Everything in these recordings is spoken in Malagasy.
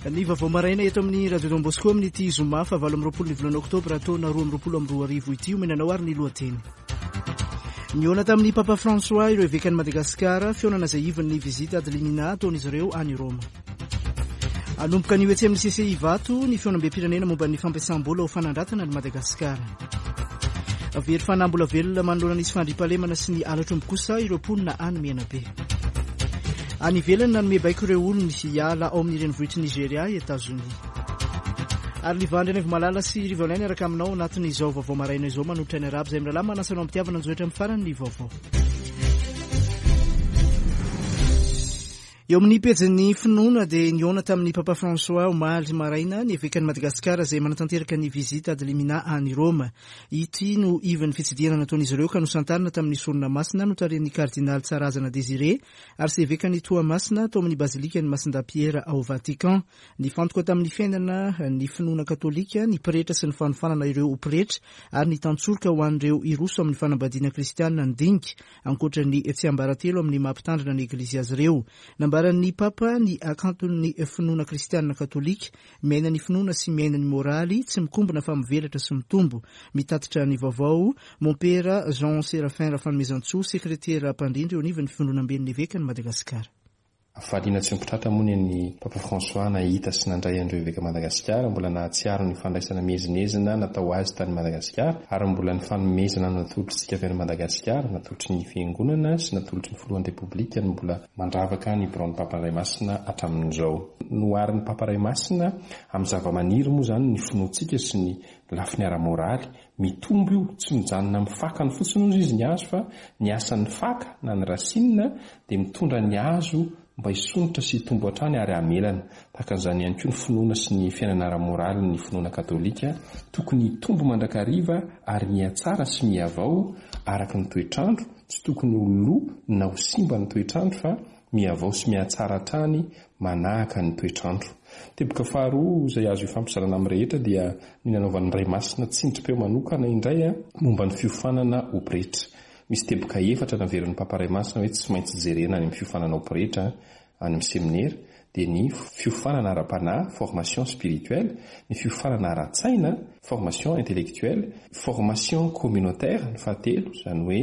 Ny vaovao maraina eto amin'ny Radio Don Bosco amin'ity zoma faha 28 ny volana oktobra taona 2022 ity omena anao ary ny lohateny. Nihaona tamin'ny Papa François ireo evekan'i Madagasikara, fihaonana izay ivon'ny visite ad limina ataon'izy ireo any Roma. Hanomboka anio etsy amin'ny CCI Ivato ny fihaonambem-pirenena momba ny fampiasam-bola ho fanandratana an'i Madagasikara. Very fanahy mbola velona manoloana ny tsy fandriampahalemana sy ny halatr'omby kosa ireo mponina any Menabe. Any ivelany nanome baiko ireo olony hiala ao amin'ny renivohitr'i Nigeria i Etazonia. Ary Liva Andrianaivomalala sy Rivo Alain niaraka aminao anatin'izao vaovao maraina izao manolotra ny arabo izay mirahalahy manasa anao am-pitiavana anjohitra amin'ny farany ny vaovao. Eo amin'ny pejin'ny finoana dia nihaona tamin'ny Papa François omaly maraina ny evekan'i Madagasikara izay manatanteraka ny visite ad limina any Roma. Ity no ivon'ny fitsidihana nataon'izy ireo ka nosantarina tamin'ny sorona masina notarihin'ny kardinaly Tsarazana Désiré, arsevekan'i Toamasina tao amin'ny bazilikan'i Masindahy Piera ao Vatican. Nifantoka tamin'ny fiainana ny finoana katolika, ny pretra sy ny fanofanana ireo ho pretra ary ny tantsoroka ho an'ireo hiroso amin'ny fanambadiana kristianina ny dinika. Ankoatra ny tsiambaratelo amin'ny maha mpitandrina ny Eglizy azy ireo. Nambaran'ny Papa ny hakanton'ny finoana kristianina katolika, miaina ny finoana sy miaina ny moraly, tsy mikombona fa mivelatra sy mitombo. Mitatitra ny vaovao, Mompera Jean Séraphin Rafanomezantsoa, sekretera mpandrindra eo anivon'ny Fivondronamben'ny Evekan'i Madagasikara. Hafaliana tsy omby tratra moa ny an'i Papa François nahita sy nandray an'ireo Eveka Madagasikara mbola nahatsiaro ny fandraisana miezinezina natao azy tany Madagasikara ary mbola ny fanomezana natolotr'isika avy any Madagasikara, natolotry ny Fiangonana sy natolotry ny Filohan'ny Repoblika no mbola mandravaka ny biraon'ny Papa Ray Masina hatramin'izao. Noharin'ny Papa Ray Masina amin'ny zavamaniry moa izany ny finoantsika sy ny lafiny ara-moraly Mitombo io, tsy mijanona amin'ny fakany fotsiny hozy izy ny hazo fa ny asan'ny faka na ny racine dia mitondra ny hazo mba hisondrotra sy hitombo hatrany ary hamelana. Tahaka an'izany ihany koa ny finoana sy ny fiainana ara-moraly ny finoana katolika, tokony hitombo mandrakariva ary mihatsara sy mihavao araka ny toetr'andro, tsy tokony ho lo na ho simba ny toetr'andro fa mihavao sy mihatsara hatrany manahaka ny toetr'andro. Teboka faharoa izay azo ifampizarana amin'ny rehetra dia ny nanaovan'ny Ray Masina tsindrim-peo manokana indray momba ny fiofanana ho pretra. Misy teboka efatra naverin'ny Papa Ray Masina hoe tsy maintsy jerena any amin'ny fiofanana ho pretra any amin'ny seminera dia ny fiofanana ara-panahy, formation spirituelle, ny fiofanana ara-tsaina, formation intellectuelle, formation communautaire, ny fahatelo, izany hoe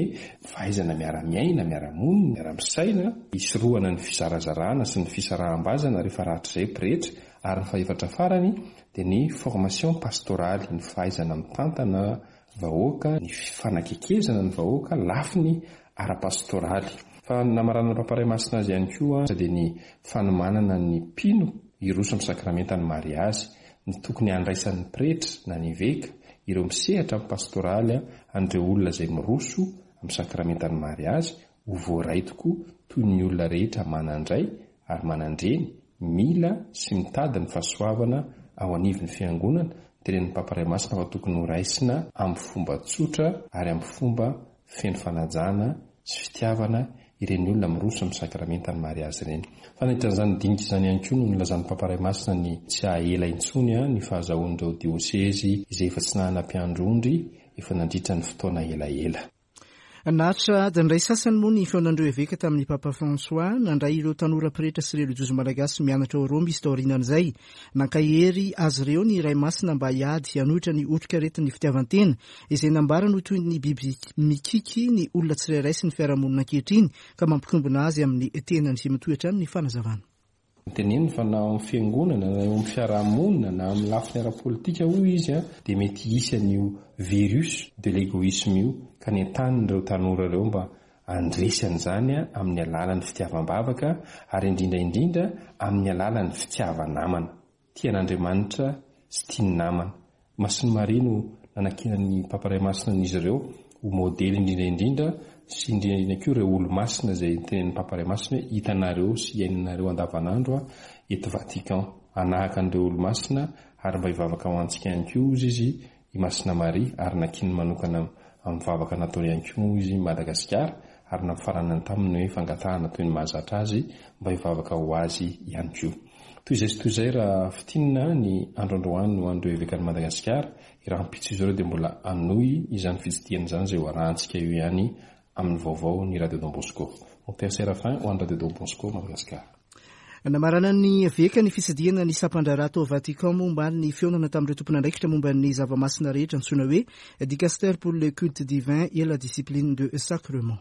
fahaizana miara-miaina, miara-monina, miara-misaina, hisorohana ny fizarazarana sy ny fisaraham-bazana rehefa rahatrizay pretra, ary ny fahefatra farany dia ny formation pastorale, ny fahaizana mitantana vahoaka, ny fanakekezana ny vahoaka, lafiny ara-pastoraly. Fa ny namaranan'ny Papa Ray Masina azy ihany koa dia ny fanomanana ny mpino hiroso amin'ny sakramentan'ny mariazy, ny tokony handraisan'ny pretra na ny eveka, ireo misehatra amin'ny pastoraly an'ireo olona izay miroso amin'ny sakramentan'ny mariazy ho voaray tokoa toy ny olona rehetra manan-dray ary manan-dreny mila sy mitady ny fahasoavana ao anivon'ny Fiangonana, tenenin'ny Papa Ray Masina fa tokony ho raisina amin'ny fomba tsotra ary amin'ny fomba feno fanajana sy fitiavana ireny olona miroso amin'ny sakramentan'ny mariazy ireny. Fa nandritra an'izany dinika izany ihany koa no nilazan'ny Papa Ray Masina ny tsy haha-ela intsony ny fahazahoan'ireo diosezy izay efa tsy nanana mpiandry ondry efa nandritra ny fotoana elaela. Naharitra adiny iray sasany moa ny fihaonan'ireo eveka tamin'ny Papa François. Nandray ireo tanora pretra sy relijiozy malagasy mianatra ao Roma izy taorianan'izay. Nankahery azy ireo ny Ray Masina mba hiady hanohitra ny otrikaretin'ny fitiavan-tena, izay nambarany ho toy ny biby mikiky ny olona tsirairay sy ny fiarahamonina ankehitriny ka mampikombona azy amin'ny tenany. Mitohy hatrany ny fanazavana. Teneniny fa na ao amin'ny fiangonana na eo amin'ny fiarahamonina na amin'ny lafiny ara-politika hoy izy dia mety hisy an'io virus de l'egoisme io ka nentaniny ireo tanora ireo mba handresy an'izany amin'ny alalan'ny fitiavam-bavaka ary indrindra indrindra amin'ny alalan'ny fitiava-namana. Tia an'Andriamanitra sy tia ny namana. Masin'i Maria no nanankinan'ny Papa Ray Masina an'izy ireo ho modely indrindra indrindra sy indrindra indrindra koa ireo olomasina izay notenenin'ny Papa Ray Masina hoe hitanareo sy iainanareo andavanandro eto Vatican. Hanahaka an'ireo olomasina ary mba hivavaka ho antsika ihany koa hozy izy i Masina Maria ary nankininy manokana amin'ny vavaka nataony ihany koa moa izy Madagasikara ary nampifaranany taminy hoe fangatahana toy ny mahazatra azy mba hivavaka ho azy ihany koa. Toy izay sy toy izay raha fintinina ny andro androany ho an'ireo evekan'i Madagasikara, rahampitso izy ireo dia mbola hanohy izany fitsidihana izany izay ho arahantsika eo ihany amin'ny vaovao ny Radio Don Bosco. Mon Père Séraphin ho an'ny Radio Don Bosco Madagasikara. Namaranan'ny eveka ny fitsidihana ny sampan-draharaha tao Vatican moa omaly ny fihaonana tamin'ireo tompon'andraikitra momba ny zava-masina rehetra antsoina hoe Dicastère pour le culte divin et la discipline de sacrement.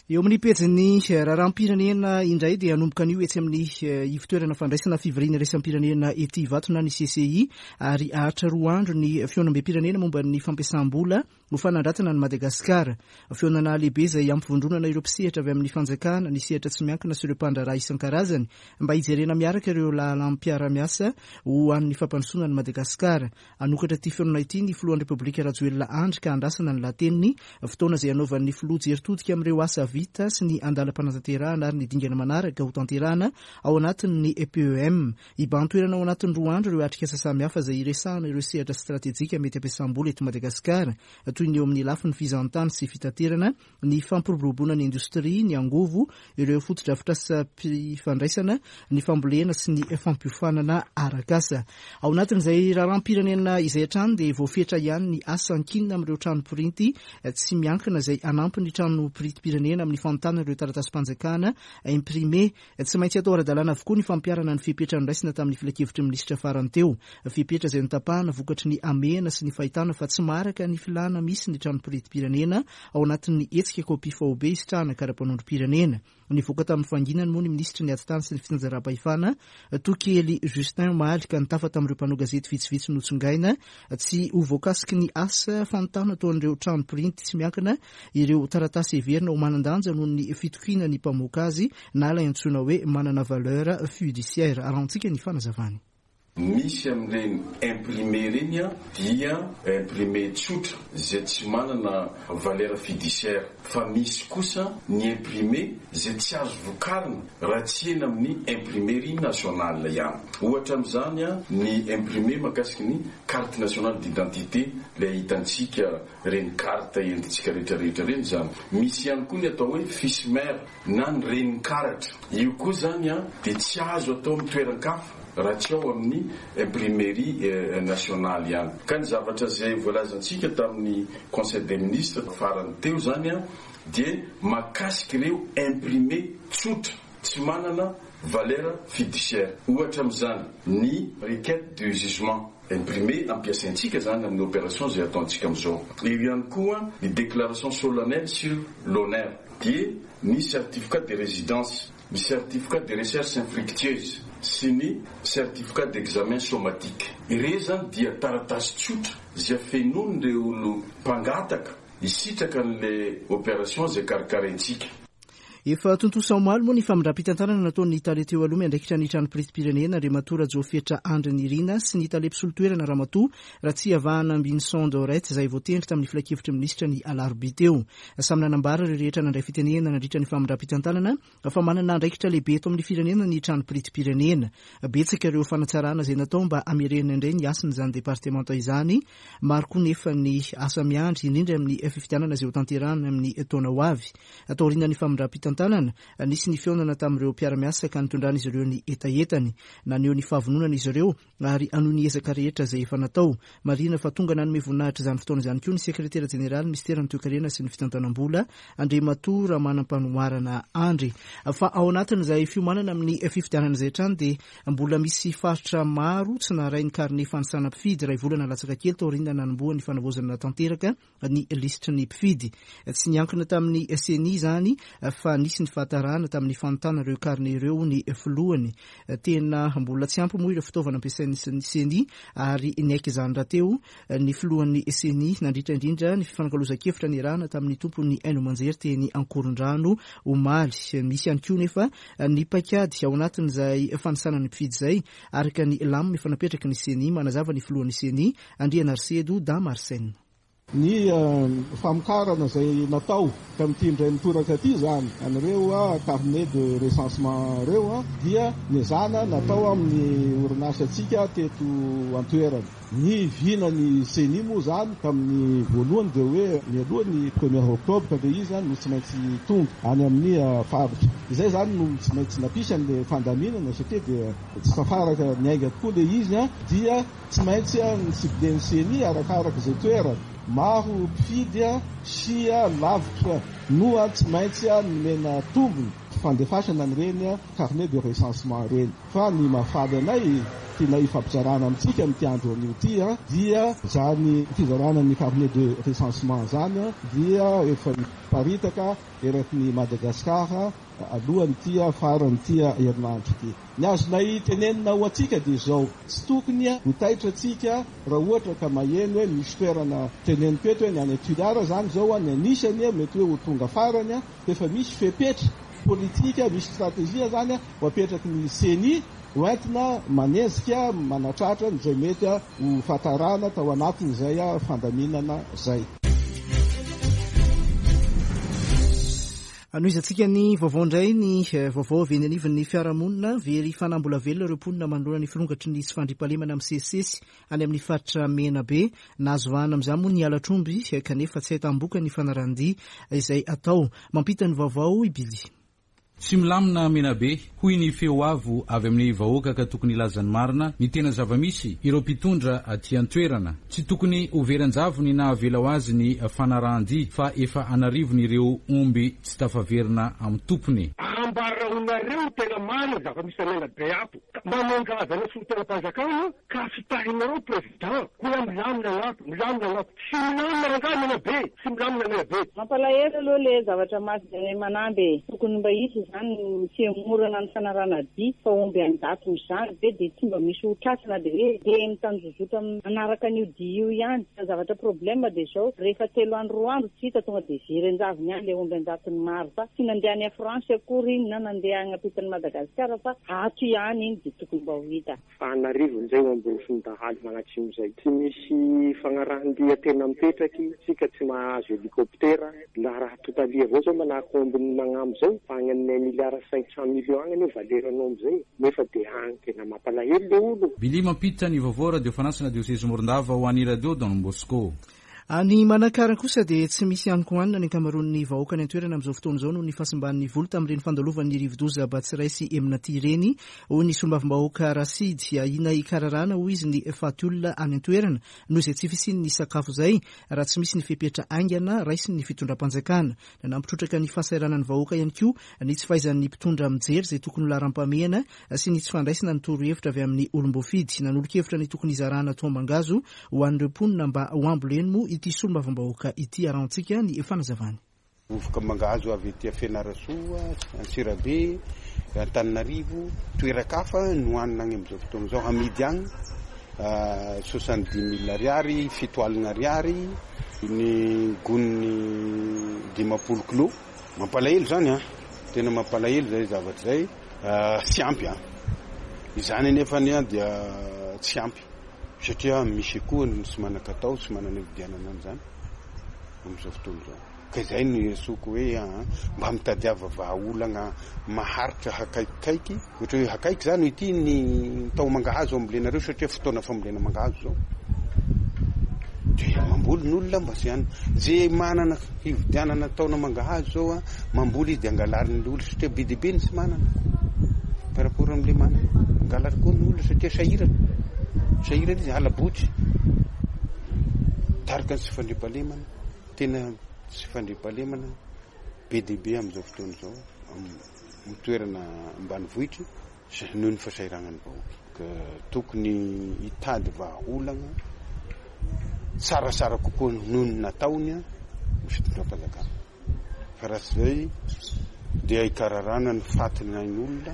Eo amin'ny pejin'ny raharaham-pirenena indray dia hanomboka anio etsy amin'ny ivotoerana fandraisana fivoriana iraisam-pirenena ety Ivato na ny CCI ary haharitra roa andro ny fihaonambem-pirenena momba ny fampiasam-bola ho fanandratana an'i Madagasikara. Fihaonana lehibe izay hampivondronana ireo mpisehatra avy amin'ny fanjakana, ny sehatra tsy miankina sy ireo mpandraharaha isan-karazany mba hijerena miaraka ireo lalam-piarahamiasa ho an'ny fampandrosoana an'i Madagasikara. Hanokatra ity fihaonana ity ny filohan'ny Repoblika Rajoelina Andry ka andrasana ny lahateniny, fotoana izay hanaovan'ny filoha jery todika amin'ireo asa vita sy ny andalam-panatanterahana ary ny dingana manaraka hotanterahana ao anatin'ny PEM. Hibahan-toerana ao anatin'ny roa andro ireo atrikasa samihafa izay hiresahana ireo sehatra stratejika mety hampiasam-bola eto Madagasikara, toy ny eo amin'ny lafiny fizahantany sy fitaterana, ny fampiroboroboana ny indostria, ny angovo, ireo fotodrafitrasam-pifandraisana, ny fambolena sy ny fampiofanana arak'asa. Ao anatin'izay raharaham-pirenena izay hatrany dia voafetra ihany ny asa ankinina amin'ireo trano printy tsy miankina izay hanampy ny trano printim-pirenena amin'ny fanontana ireo taratasim-panjakana imprimé. Tsy maintsy atao ara-dalàna avokoa ny fampiharana ny fepetra noraisina tamin'ny filankevitry ny minisitra farany teo. Fepetra izay notapahana vokatry ny hamehana sy ny fahitana fa tsy maharaka ny filàna misy ny tranom-piritim-pirenena ao anatin'ny hetsika kopia faobe hisitrahana kara-panondrom-pirenena. Nivoaka tamin'ny fahanginany moa ny minisitry ny Atitany sy ny fitsinjaram-pahefana, Tokely Justin omaly ka nitafa tamin'ireo mpanao gazety vitsivitsy notsongaina tsy ho voakasiky ny asa fanontana ataon'ireo trano printy tsy miankina ireo taratasy heverina ho manan-danja noho ny fitokiana ny mpamoaka azy na ilay antsoina hoe manana valeur fiduciaire. Arahantsika ny fanazavany. Misy amin'ireny imprimé ireny dia imprimé tsotra izay tsy manana valeur fiduciaire fa misy kosa ny imprimé izay tsy azo vokarina raha tsy eny amin'ny imprimerie nationale ihany. Ohatra amin'izany ny imprimé mahakasika ny carte nationale d'identité ilay hitantsika ireny carte entintsika rehetra rehetra ireny izany. Misy ihany koa ny atao hoe fiche mère na ny renin-karatra. Io koa izany dia tsy azo atao amin'ny toeran-kafa raha tsy ao amin'ny imprimerie nationale ihany. Ka ny zavatra izay voalazantsika tamin'ny conseil des ministres farany teo izany dia mahakasika ireo imprimé tsotra tsy manana valeur fiduciaire. Ohatra amin'izany ny requête de jugement imprimé ampiasaintsika izany amin'ny opération izay ataontsika amin'izao. Eo ihany koa ny déclaration solennelle sur l'honneur dia ny certificat de résidence, ny certificat de recherche infructueuse sy ny certificat d'examen somatique. Ireo izany dia taratasy tsotra izay fenoin'ireo olo mpangataka hisitraka an'ilay opération izay karakaraintsika. Efa tontosa omaly moa ny famindram-pitantanana nataon'ny tale teo aloha miandraikitra ny trano printim-pirenena Andriamatoa Rajaofetra Andry Nirina sy ny tale mpisolo toerana Ramatoa Ratsiavahana Ambinison Dorette izay voatendry tamin'ny filankevitry ny minisitra ny alarobia teo. Samy nanambara ireo rehetra nandray fitenenana nandritra ny famindram-pitantanana fa manana andraikitra lehibe eto amin'ny firenena ny trano printim-pirenena. Betsaka ireo fanatsarana izay natao mba hamerenana indray ny hasin'izany departemanta izany. Maro koa nefa ny asa miandry, indrindra amin'ny fifidianana izay hotanterahana amin'ny taona ho avy. Taorian'ny famindram-pitantanana, nisy ny fihaonana tamin'ireo mpiara-miasa ka nitondran'izy ireo ny hetahetany. Naneho ny fahavononana izy ireo ary hanohy ny ezaka rehetra izay efa natao. Marihina fa tonga nanome voninahitra izany fotoana izany koa ny sekretera jeneraly minisiteran'ny toekarena sy ny fitantanam-bola, Andriamatoa Ramanampanoharana Andry. Fa ao anatin'izay fiomanana amin'ny fifidianana izay hatrany dia mbola misy faritra maro tsy naharay ny karne fanisana mpifidy iray volana latsaka kely taorian'ny nanombohan'ny fanavaozana tanteraka ny lisitry ny mpifidy. Tsy niankina tamin'ny Ceni izany fa nisy ny fahatarana tamin'ny fanontana ireo carnet ireo ny filohany. Tena mbola tsy ampy moa ireo fitaovana ampiasain'ny Ceni ary niaiky izany rahateo ny filohan'ny Ceni nandritra indrindra ny fifanakalozan-kevitra niarahana tamin'ny tompon'ny haino aman-jery teny Ankorondrano omaly. Misy ihany koa nefa ny paikady ao anatin'izay fanisana ny mpifidy izay araka ny lamina efa napetraky ny Ceni, manazava ny filohan'ny Ceni, Andrianarisedo Dama Arsène. Ny famokarana izay natao tamin'ity indray mitoraka ity izany, an'ireo carnet de recensement ireo dia nezahana natao amin'ny orinasantsika teto an-toerana. Ny vinan'ny Ceni moa izany tamin'ny voalohany dia hoe mialoha ny premier octobre ilay izy no tsy maintsy tonga any amin'ny faritra. Izay izany no tsy maintsy nampisy an'ilay fandaminana satria dia tsy tafaraka niainga tokoa ilay izy dia Tsy maintsy ny ciblen'ny ceni arakaraka izay toerana. Maro mpifidy sy lavitra no tsy maintsy nomena tombony fandefasana an'ireny carnet de recensement ireny. Fa ny mahafaly anay tianay hifampizarana amintsika amin'ity andro anio ity dia izany fizarana ny carnet de recensement izany dia efa hiparitaka eraky ny Madagasikara alohan'ity faran'ity herinandro ity. Ny azonay tenenina ho antsika dia izao, tsy tokony ho taitra antsika raha ohatra ka maheno hoe misy toerana teneniko eto hoe ny any Toliara izany izao ny anisany mety hoe ho tonga farany fa efa misy fepetra politika, misy stratégie izany ho apetraky ny ceni ho entina manenjika manatratra an'izay mety ho fahatarana tao anatin'izay fandaminana izay. Hanohizantsika ny vaovao indray ny vaovao avy eny anivon'ny fiarahamonina. Very fanahy mbola velona ireo mponina manoloana ny firongatry ny tsy fandriampahalemana misesisesy any amin'ny faritra Menabe. Nahazo vahana amin'izany moa ny halatr'omby kanefa tsy ahitam-boka ny fanarahan-dia izay atao. Mampita ny vaovao i Billy. Tsy milamina Menabe, hoy ny feo avo avy amin'ny vahoaka ka tokony hilaza ny marina, ny tena zava-misy, ireo mpitondra aty an-toerana. Tsy tokony ho very an-javony na avela ho azy ny fanarahan-dia fa efa an'arivony ireo omby tsy tafaverina amin'ny tompony. Ambaraonareo ny tena marina zava-misy an'aina be ato. Manenga azy anao solontenam-panjakana ka fitahinareo président hoe milamina ny ato, milamina ny ato. Tsy milamina rangahy Menabe, tsy milamina Menabe. Mampalahelo aloha le zavatra maty any Manamby e! Tokony mba hisy izany ny fihemorana ny fanarahana dia fa omby an-jatony izany ve dia tsy mba misy ho tratra na dia hoe dia mitanjozotra manaraka an'io dia io ihany. Fa ny zavatra problème dia izao, rehefa telo andro roa andro tsy hita tonga dia very an-javony any ilay omby an-jatony maro fa tsy nandeha any France akory iny na nandeha any ampitan'i Madagasikara fa ato ihany iny dia tokony mba ho hita. Fa an'arivony zay omby dahalo magnatsimo zay. Tsy misy fagnarahan-dia tena mipetraky, tsika tsy mahazo hélicoptère, la raha totalie avao zao manahaky ombin'ny magnamby zao, fa agny amin'ny un milliard cinq cent millions agny anie valeran'omby zay, nefa de agny tena mampalahelo le olo. Billy mampiditra ny vaovao Radio Fanasana Diosezy Morondava ho an'ny Radio Don Bosco. Any Manakara kosa dia tsy misy hanin-kohanina ny ankamaroan'ny vahoaka any an-toerana amin'izao fotoana izao noho ny fahasimban'ny voly tamin'ireny fandalovan'ny rivodoza Batsirai sy Emnati ireny, hoy ny solombavambahoaka Rasidy. Ahiana hikararana, hoy izy, ny faty olona any an-toerana noho izay tsy fisian'ny sakafo izay raha tsy misy ny fepetra haingana raisin'ny fitondram-panjakana. Nanampy trotraka ny fahasahiranan'ny vahoaka ihany koa ny tsy fahaizan'ny mpitondra mijery izay tokony ho laharam-pahamehana sy ny tsy fandraisana ny torohevitra avy amin'ny olom-boafidy. Nanolo-kevitra ny tokony hizarana taomangazo ho an'ireo mponina mba ho amboleny moa ity solombavambahoaka ity. Arahantsika ny fanazavany. Vovoka mangahazo avy aty Fianarantsoa, Antsirabe, Antananarivo, toeran-kafa no hanina agny amin'izao fotoana izao, amidy agny soixante dix mille ariary, 70 ariary ny gony 50 kilao. Mampalahelo izany an, tena mampalahelo izay zavatra izay. Tsy ampy an! Izany anefa anie dia tsy ampy satria misy koa ny tsy manan-katao, tsy manana hividianana an'izany amin'izao fotoana izao. Ka izay no iantsoako hoe mba mitadiava vahaolana maharitra hakaikikaiky, ohatra hoe hakaiky izany hoe ity ny taho-mangahazo ambolenareo satria fotoana fambolena mangahazo izao. Dia mamboly ny olona mba tsy any. Ze manana hividianana taona mangahazo zao a, mamboly izy dia angalarin'ny olona satria be dia be ny tsy manana par rapport amin'le manana. Angalary koa ny olona satria sahirana, sahirana izy, hala-botry. Mitarika ny tsy fandriampahalemana, tena tsy fandriampahalemana be dia be amin'izao fotoana izao amin'ny toerana ambanivohitra. Noho ny fahasahiranan'ny vahoaka ka tokony hitady vahaolana tsaratsara kokoa noho ny nataony ny fitondram-panjakana fa raha tsy izay dia hikararana ny fatin'ain'olona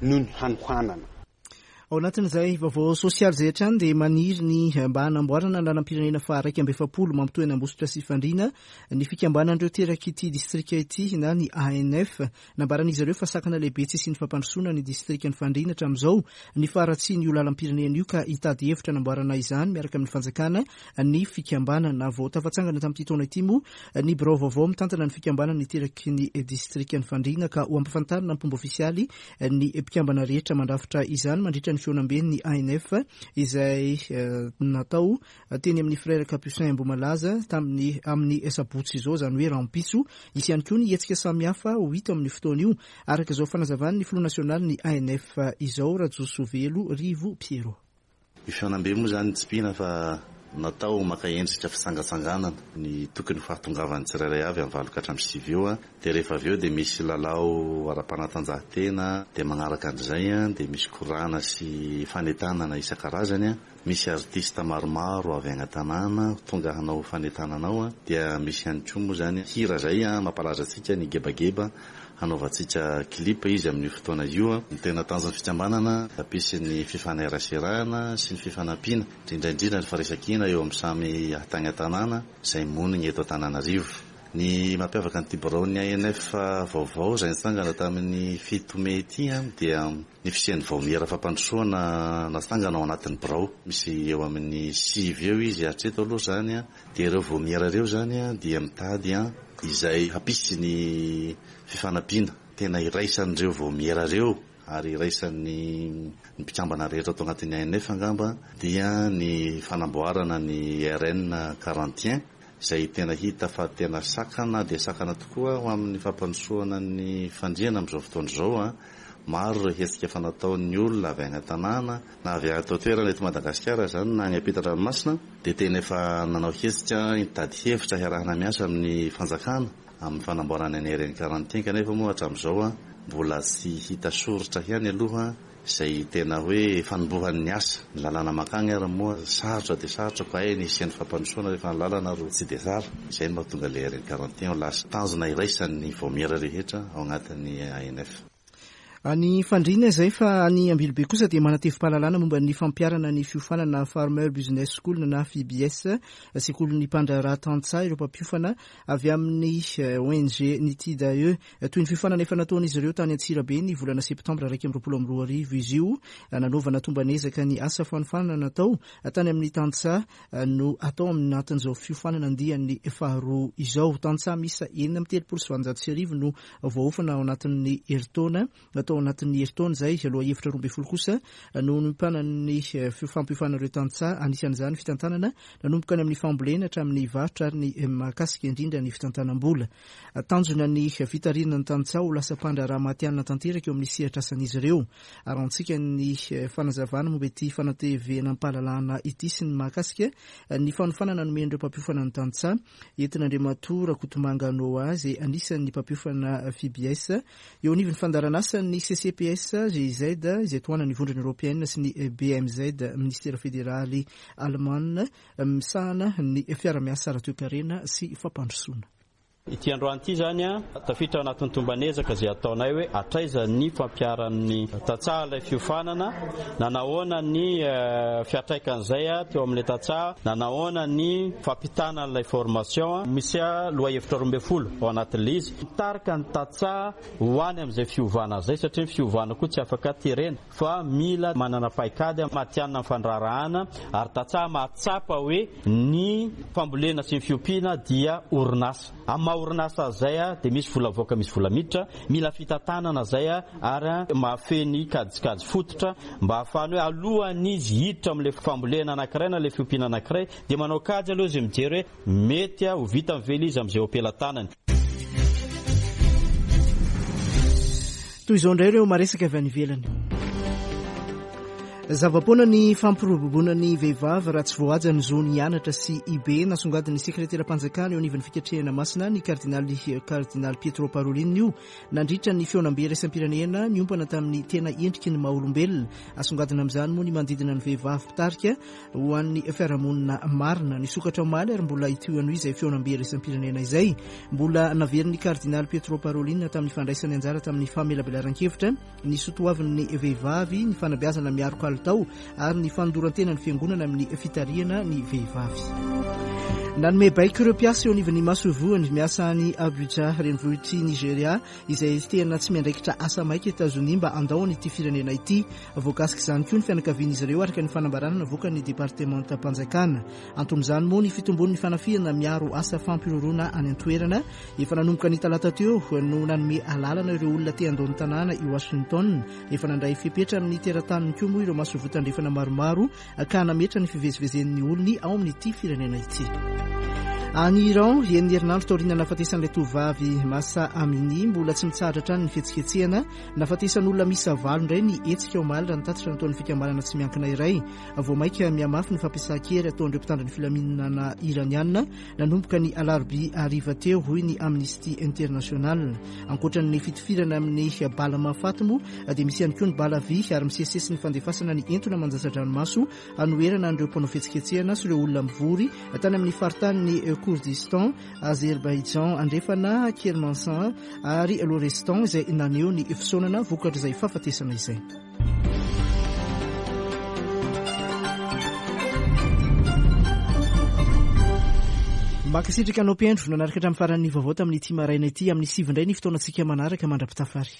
noho ny hanohanana. Ao anatin'izay vaovao sosialy izay hatrany dia maniry ny mba hanamboarana ny lalam-pirenena faha 41 mampitohy an'Ambositra sy Fandriana ny fikambanan'ireo terak'ity distrika ity na ny ANF. Nambaran'izy ireo fa sakana lehibe tsy hisian'ny fampandrosoana ny distrikan'i Fandriana hatramin'izao ny faharatsian'io lalam-pirenena io ka hitady hevitra hanamboarana izany miaraka amin'ny fanjakana ny fikambanana. Vao tafatsangana tamin'ity taona ity moa ny birao vaovao mitantana ny fikambanana iteraky ny distrikan'i Fandriana ka ho ampafantarina am-pomba ofisialy ny mpikambana rehetra mandrafitra izany mandritra ny fihaonamben'ny ANF izay natao teny amin'ny Frères Capucins Ambohimalaza tamin'ny amin'ny sabotsy izao, izany hoe rahampitso. Hisy ihany koa ny hetsika samihafa ho hita amin'io fotoana io, araka izao fanazavan'ny filoha nasionalin'ny ANF izao, Rajosovelo Rivo Pierrot. Io fihaonambe moa izany tsipihina fa Natao maka endrika fitsangatsanganana ny tokony fahatongavan'ny tsirairay avy amin'ny 8 ka hatramin'ny 9 eo. Dia rehefa avy eo dia misy lalao ara-panatanjahantena, dia manaraka an'izay dia misy korana sy fanentanana isan-karazany. Misy artista maromaro avy any an-tanàna tonga hanao fanentanana ao. Dia misy ihany koa moa izany hira izay mampalaza antsika ny gebageba hanaovantsika clip izy amin'io fotoana io. Ny tena tanjon'ny fikambanana, hampisy ny fifaneraserana sy ny fifanampiana, indrindra indrindra ny firaisankina eo amin'ny samy tany an-tanàna izay monina eto Antananarivo. Ny mampiavaka an'ity biraon'ny ANF vaovao izay nitsangana tamin'ny 7 mey ity dia ny fisian'ny vaomiera fampandrosoana natsangana ao anatin'ny birao. Misy eo amin'ny 9 eo izy hatreto aloha izany. Dia ireo vaomiera ireo izany dia mitady izay hampisy ny fifanampiana tena iraisan'ireo vaomiera ireo ary iraisan'ny mpikambana rehetra ato anatin'ny ANF angamba dia ny fanamboarana ny RN 41 izay tena hita fa tena sakana dia sakana tokoa ho amin'ny fampandrosoana ny fandriana amin'izao fotoana izao. Maro ireo hetsika efa nataon'ny olona avy any an-tanàna na avy ato an-toerana eto Madagasikara izany na any ampitan-dranomasina dia tena efa nanao hetsika nitady hevitra hiarahana miasa amin'ny fanjakana amin'ny fanamboarana ny RN 41 kanefa moa hatramin'izao mbola tsy hita soritra ihany aloha izay tena hoe fanombohan'ny asa. Ny lalàna mankagny ary moa sarotra dia sarotra koa hay ny hisian'ny fampandrosoana rehefa ny lalana ary tsy dia tsara. Izay no mahatonga ilay RN 41 ho lasa tanjona iraisan'ny vaomiera rehetra ao anatin'ny ANF. Any Fandriana izay fa any Ambilobe kosa dia manatevim-pahalalana momba ny fampiharana ny fiofanana Farmer Business School na FBS, sekolin'ny mpandraharaha tantsaha ireo mpampiofana avy amin'ny ONG Nitidae. Toy ny fiofanana efa nataon'izy ireo tany Antsirabe ny volana septambra 2021 izy io, nanaovana tomban'ezaka ny asa fanofanana natao tany amin'ny tantsaha no atao anatin'izao fiofanana andiany faharoa izao. Tantsaha miisa 1836 no voaofana ao anatin'ny herintaona, natao anatin'ny herintaona izay. Lohahevitra 12 kosa no nompanan'ny fampiofanana ireo tantsaha, anisan'izany fitantanana nanomboka any amin'ny fambolena hatramin'ny varotra ary ny mahakasika indrindra ny fitantanam-bola. Tanjona ny fitarihana ny tantsaha ho lasa mpandraharaha matihanina tanteraka eo amin'ny sehatr'asan'izy ireo. Arahantsika ny fanazavana momba ity fanatevenam-pahalalana ity sy ny mahakasika ny fanofanana nomen'ireo mpampiofana ny tantsaha. Entin'Andriamatoa Rakotomanga Noah izay anisan'ny mpampiofana FIBS eo anivon'ny fandaharan'asan'ny CCPS GIZ izay tohanan'ny Vondrona Eoropeana sy ny BMZ, Minisitera Federaly Alemana misahana ny fiara-miasa ara-toekarena sy fampandrosoana. Ity androany ity izany, tafiditra ao anatin'ny tomban'ezaka izay ataonay hoe hatraiza ny fampiharan'ny tantsaha ilay fiofanana, nanahoana ny fiantraikan'izay teo amin'ilay tantsaha, nanahoana ny fampitana an'ilay formation. Misy lohahevitra 12 ao anatin'ilay izy. Mitarika ny tantsaha ho any amin'izay fiovana izay satria ny fiovana koa tsy afaka terena. fa mila manana paikady matihanina amin'ny fandraharahana ary tantsaha mahatsapa hoe ny fambolena sy ny fiompiana dia orinasa. Amin'ny maha orinasa azy izay dia misy vola avoaka misy vola miditra, mila fitantanana izay ary mahafehy ny kajikajy fototra mba hahafahany hoe alohan'izy hiditra amin'ilay fambolena anankiray na ilay fiompiana anankiray dia manao kajy aloha izy mijery hoe Mety ho vitany ve ilay izy amin'izay eo am-pelatanany? Toy izao indray ireo maresaka avy any ivelany. Zava-poana ny fampiroboroboana ny vehivavy raha tsy voahaja ny zony hianatra sy hibe. Nasongadin'ny sekreteram-panjakana eo anivon'ny fikatrehana masina ny kardinaly kardinaly Pietro Parolin io nandritra ny fihaonambe iraisam-pirenena niompana tamin'ny tena endriky ny maha olombelona. Asongadina amin'izany moa ny manodidina ny vehivavy mpitarika ho an'ny fiarahamonina marina. Nisokatra omaly ary mbola hitohy anio izay fihaonambe iraisam-pirenena izay. Mbola naverin'ny kardinaly Pietro Parolin tamin'ny fandraisany anjara tamin'ny famelabelaran-kevitra ny soatoavin'ny vehivavy, ny fanabeazana miaro kalitao ary ny fandoran-tena ny fiangonana amin'ny fitarihana ny vehivavy. Nanome baiko ireo mpiasa eo anivon'ny masoivohony miasa any Abuja, renivohitr'i Nigeria, izay tena tsy miandraikitra asa maika Etazonia mba handao an'ity firenena ity. Voakasik'izany koa ny fianakavian'izy ireo araka ny fanambarana navoakan'ny departemantam-panjakana. Anton'izany moa ny fitombon'ny fanafihana miaro asa fampihorohoroana any an-toerana. Efa nanomboka ny talata teo no nanome alalana ireo olona te handao ny tanàna i Washington. Efa nandray fepetra amin'ny terataniny koa moa ireo masoivoho tandrefana maromaro ka nametra ny fivezivezen'ny olony ao amin'ity firenena ity. Any Iran, enina herinandro taorian'ny nahafatesan'ilay tovovavy Mahsa Amini, mbola tsy mitsahatra hatrany ny fihetsiketsehana. Nahafatesan'olona miisa valo indray ny hetsika omaly raha ny tatitra nataon'ny fikambanana tsy miankina iray. Vao mainka mihamafy ny fampiasan-kery ataon'ireo mpitandro ny filaminana iraniana nanomboka ny alarobia hariva teo, hoy ny Amnesty International. Ankoatra ny fitifirana amin'ny bala mahafaty moa dia misy ihany koa ny bala vy ary misesisesy ny fandefasana ny entona mandatsa-dranomaso hanoherana an'ireo mpanao fihetsiketsehana sy ireo olona mivory tany amin'ny faritanin'i Kurdistan, Azerbaijan Andrefana, Kermanshah ary Lorestan izay naneho ny fisaonana vokatr'izay fahafatesana izay. Mankasitraka anao mpihaino nanaraka hatramin'ny faran'ny vaovao tamin'ity maraina ity. Amin'ny sivy indray ny fotoanantsika manaraka mandra-pitafary.